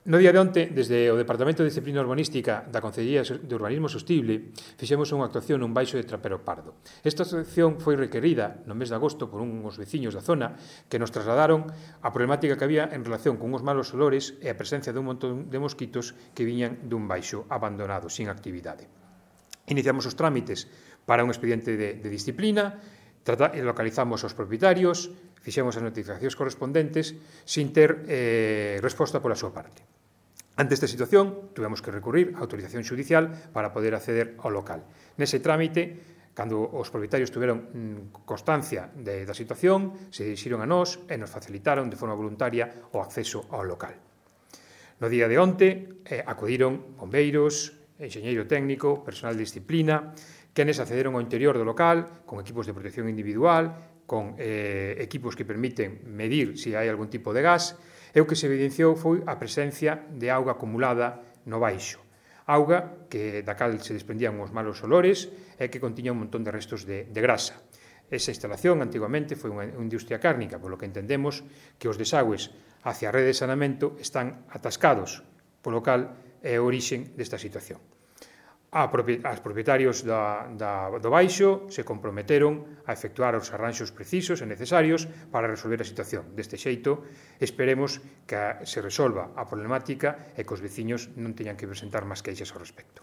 No día de onte, desde o Departamento de Disciplina Urbanística da Concellería de Urbanismo Sostible, fixemos unha actuación nun baixo de Trapero Pardo. Esta actuación foi requerida no mes de agosto por uns veciños da zona que nos trasladaron a problemática que había en relación con uns malos olores e a presencia dun montón de mosquitos que viñan dun baixo abandonado, sin actividade. Iniciamos os trámites para un expediente de disciplina, localizamos os propietarios, fixemos as notificacións correspondentes sin ter resposta pola súa parte. Ante esta situación, tuvemos que recurrir á autorización xudicial para poder acceder ao local. Nese trámite, cando os propietarios tuveron constancia da situación, se dirixiron a nós e nos facilitaron de forma voluntaria o acceso ao local. No día de onte, acudiron bombeiros, enxeñeiro técnico, personal de disciplina, quenes accederon ao interior do local con equipos de protección individual, con equipos que permiten medir se hai algún tipo de gas, e o que se evidenciou foi a presencia de auga acumulada no baixo. Auga da cal se desprendían os malos olores e que contiña un montón de restos de grasa. Esa instalación, antigamente, foi unha industria cárnica, polo que entendemos que os desagües hacia a rede de saneamento están atascados, polo cal é a orixen desta situación. Os propietarios do baixo se comprometeron a efectuar os arranxos precisos e necesarios para resolver a situación. Deste xeito, esperemos que se resolva a problemática e que os veciños non teñan que presentar máis queixas ao respecto.